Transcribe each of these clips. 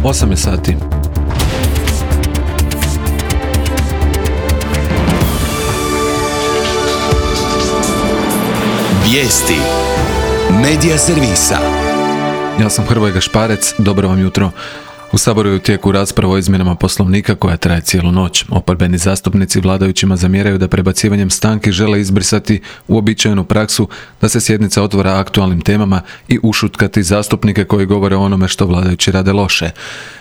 8 je sati. Vijesti Medija servisa. Ja sam Hrvoje Gašparec, dobro vam jutro. U Saboru je u tijeku rasprava o izmjenama Poslovnika koja traje cijelu noć. Oporbeni zastupnici vladajućima zamjeraju da prebacivanjem stanki žele izbrisati uobičajenu praksu da se sjednica otvara aktualnim temama i ušutkati zastupnike koji govore o onome što vladajući rade loše.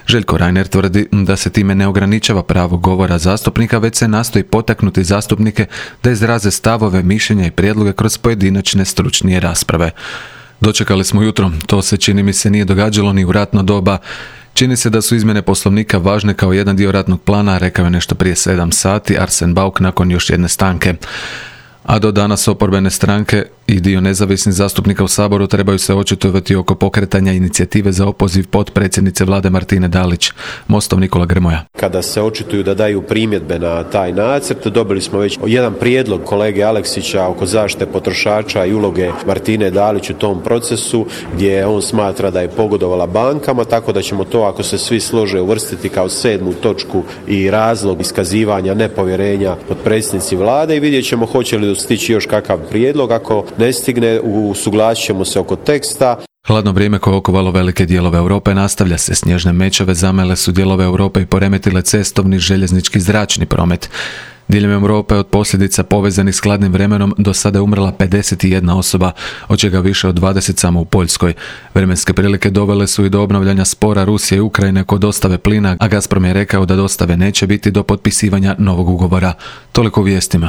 Željko Reiner tvrdi da se time ne ograničava pravo govora zastupnika, već se nastoji potaknuti zastupnike da izraze stavove, mišljenja i prijedloge kroz pojedinačne stručnije rasprave. Dočekali smo jutro, to se čini mi se nije događalo ni u ratno doba. Čini se da su izmjene Poslovnika važne kao jedan dio ratnog plana, rekao je nešto prije 7 sati Arsen Bauk nakon još jedne stanke. A do danas oporbene stranke i dio nezavisnih zastupnika u Saboru trebaju se očitovati oko pokretanja inicijative za opoziv potpredsjednice Vlade Martine Dalić. Mostov Nikola Grmoja. Kada se očituju da daju primjedbe na taj nacrt, dobili smo već jedan prijedlog kolege Aleksića oko zaštite potrošača i uloge Martine Dalić u tom procesu, gdje on smatra da je pogodovala bankama, tako da ćemo to, ako se svi slože, uvrstiti kao 7. točku i razlog iskazivanja nepovjerenja potpredsjednici Vlade i vidjet ćemo hoće li stići još kakav prijedlog. Ako ne stigne, usuglasit ćemo se oko teksta. Hladno vrijeme koje okovalo velike dijelove Europe nastavlja se. Snježne mećave zamele su dijelove Europe i poremetile cestovni, željeznički, zračni promet. Diljem Europe od posljedica povezanih s hladnim vremenom do sada je umrla 51 osoba, od čega više od 20 samo u Poljskoj. Vremenske prilike dovele su i do obnavljanja spora Rusije i Ukrajine kod dostave plina, a Gazprom je rekao da dostave neće biti do potpisivanja novog ugovora. Toliko u vijestima.